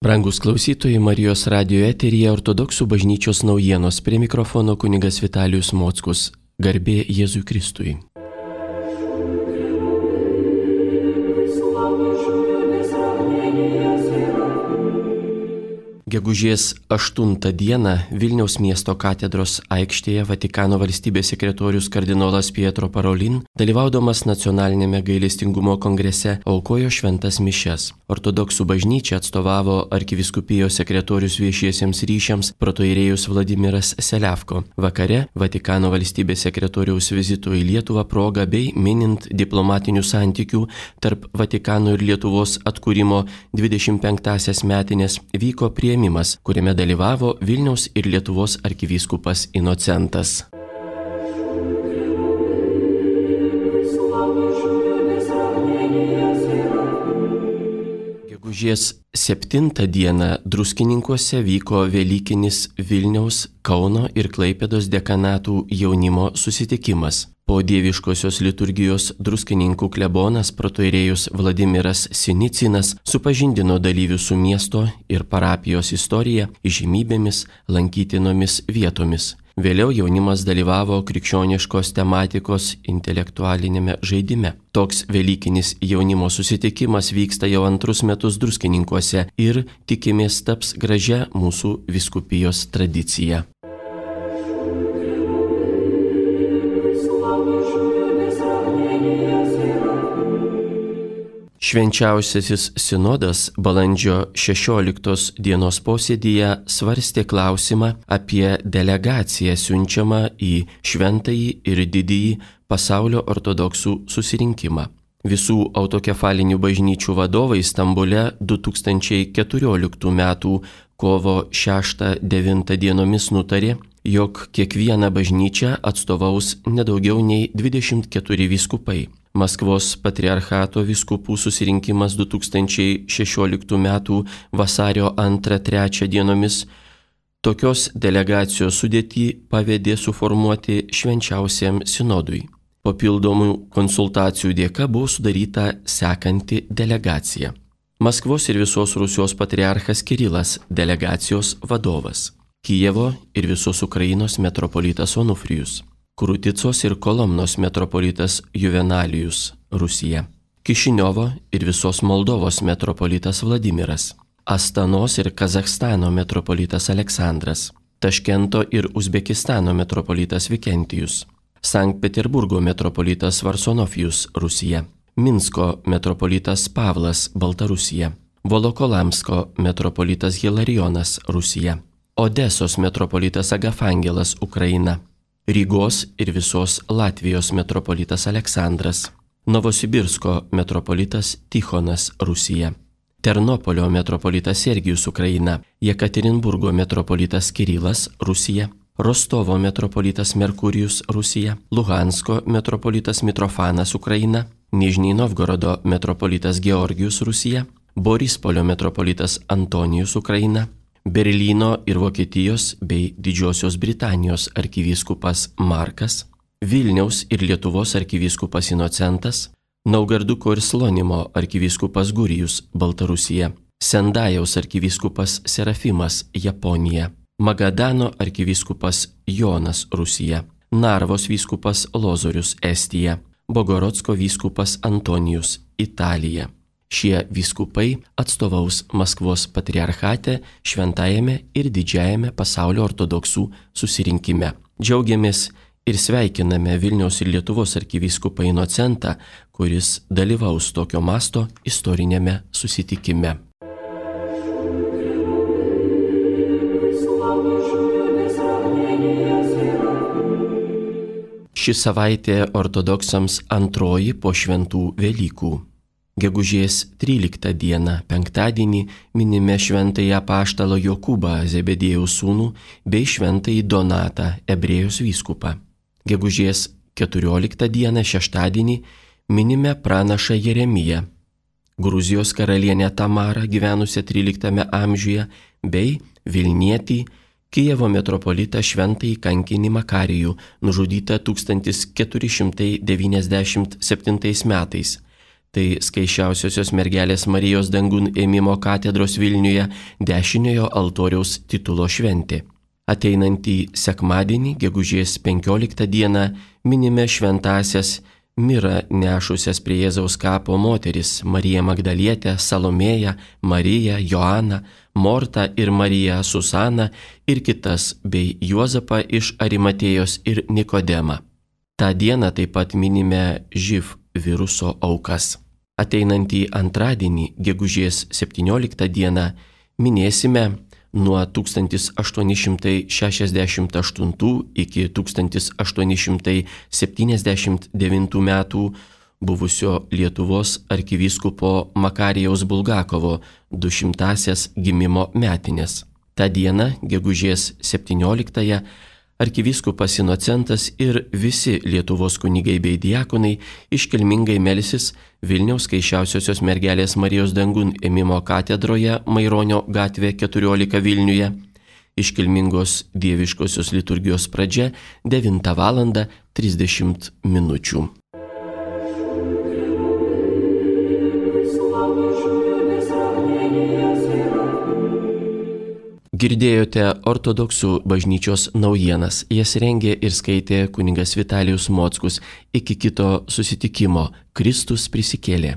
Brangus klausytojai, Marijos radijo eteryje Ortodoksų bažnyčios naujienos, prie mikrofono kunigas Vitalijus Mockus. Garbė Jėzui Kristui. Gegužės 8 dieną Vilniaus miesto katedros aikštėje Vatikano valstybės sekretorius kardinolas Pietro Parolin, dalyvaudamas nacionalinėme gailestingumo kongrese, aukojo šventas mišias. Ortodoksų bažnyčia atstovavo arkivyskupijos sekretorius viešiesiems ryšiams protoirėjus Vladimiras Seliavko. Vakare Vatikano valstybės sekretoriaus vizito į Lietuvą proga bei minint diplomatinių santykių tarp Vatikano ir Lietuvos atkūrimo 25-asias metinės vyko priėmimas, kuriame dalyvavo Vilniaus ir Lietuvos arkivyskupas Inocentas. Gegužės 7 dieną Druskininkuose vyko Velykinis Vilniaus, Kauno ir Klaipėdos dekanatų jaunimo susitikimas. Po dieviškosios liturgijos Druskininkų klebonas protoirėjus Vladimiras Sinicinas supažindino dalyvius su miesto ir parapijos istorija, įžymybėmis, lankytinomis vietomis. Vėliau jaunimas dalyvavo krikščioniškos tematikos intelektualinėme žaidime. Toks Velykinis jaunimo susitikimas vyksta jau antrus metus Druskininkuose ir tikimės taps gražia mūsų vyskupijos tradicija. Švenčiausiasis sinodas balandžio 16 dienos posėdyje svarstė klausimą apie delegaciją siunčiamą į šventąjį ir didįjį pasaulio ortodoksų susirinkimą. Visų autokefalinių bažnyčių vadovai Stambule 2014 m. kovo 6-9 dienomis nutarė, jog kiekvieną bažnyčią atstovaus nedaugiau nei 24 vyskupai. Maskvos patriarchato vyskupų susirinkimas 2016 m. vasario 2-3 dienomis tokios delegacijos sudėtį pavedė suformuoti švenčiausiam sinodui. Papildomų konsultacijų dėka buvo sudaryta sekanti delegacija. Maskvos ir visos Rusijos patriarchas Kirilas delegacijos vadovas. Kijevo ir visos Ukrainos metropolitas Onufrijus. Kruticos ir Kolomnos metropolitas Juvenalijus, Rusija. Kišiniovo ir visos Moldovos metropolitas Vladimiras. Astanos ir Kazachstano metropolitas Aleksandras. Taškento ir Uzbekistano metropolitas Vikentijus. Sankt Peterburgo metropolitas Varsonofijus, Rusija. Minsko metropolitas Pavlas, Baltarusija. Volokolamsko metropolitas Hilarijonas, Rusija. Odesos metropolitas Agafangelas, Ukraina. Rygos ir visos Latvijos metropolitas Aleksandras. Novosibirsko metropolitas Tichonas, Rusija. Ternopolio metropolitas Sergijus, Ukraina. Jekaterinburgo metropolitas Kirilas, Rusija. Rostovo metropolitas Merkurijus, Rusija. Luhansko metropolitas Mitrofanas, Ukraina. Nižnij Novgorodo metropolitas Georgijus, Rusija. Borispolio metropolitas Antonijus, Ukraina. Berlyno ir Vokietijos bei Didžiosios Britanijos arkivyskupas Markas, Vilniaus ir Lietuvos arkivyskupas Inocentas, Naugarduko ir Slonimo arkivyskupas Gurijus, Baltarusija, Sendajaus arkivyskupas Serafimas, Japonija, Magadano arkivyskupas Jonas, Rusija, Narvos vyskupas Lozorius, Estija, Bogorodsko vyskupas Antonijus, Italija. Šie vyskupai atstovaus Maskvos patriarchate šventajame ir didžiajame pasaulio ortodoksų susirinkime. Džiaugiamės ir sveikiname Vilniaus ir Lietuvos arkivyskupą Inocentą, kuris dalyvaus tokio masto istorinėme susitikime. Ši savaitė ortodoksams antroji po šventų Velykų. Gegužės 13 dieną, penktadienį, minime šventąjį apaštalą Jokūbą, Zebediejaus sūnų, bei šventąjį Donatą, Ebrėjos vyskupą. Gegužės 14 dieną, šeštadienį, minime pranašą Jeremiją, Gruzijos karalienę Tamarą, gyvenusią 13 amžiuje, bei Vilnietį, Kijevo metropolitą šventąjį kankinį Makarijų, nužudytą 1497 metais. Tai Skaisčiausiosios mergelės Marijos dangun ėmimo katedros Vilniuje dešiniojo altoriaus titulo šventė. Ateinantį sekmadienį, gegužės 15 dieną, minime šventąsias mirą nešusias prie Jėzaus kapo moteris Mariją Magdalietę, Salomėją, Mariją, Joaną, Mortą ir Mariją Susaną ir kitas, bei Juozapą iš Arimatėjos ir Nikodemą. Ta diena taip pat minime živ viruso aukas. Ateinantį antradienį, gegužės 17 dieną, minėsime nuo 1868 iki 1879 metų buvusio Lietuvos arkivyskupo Makarijaus Bulgakovo 200-asias gimimo metinės. Ta diena, gegužės 17-ąją, arkivyskupas Inocentas ir visi Lietuvos kunigai bei diakonai iškilmingai melsis Vilniaus Skaisčiausiosios mergelės Marijos dangun ėmimo katedroje Maironio gatvė 14 Vilniuje. Iškilmingos dieviškosios liturgijos pradžia 9:30 min. Girdėjote ortodoksų bažnyčios naujienas. Jas rengė ir skaitė kunigas Vitalijus Mockus. Iki kito susitikimo. Kristus prisikėlė.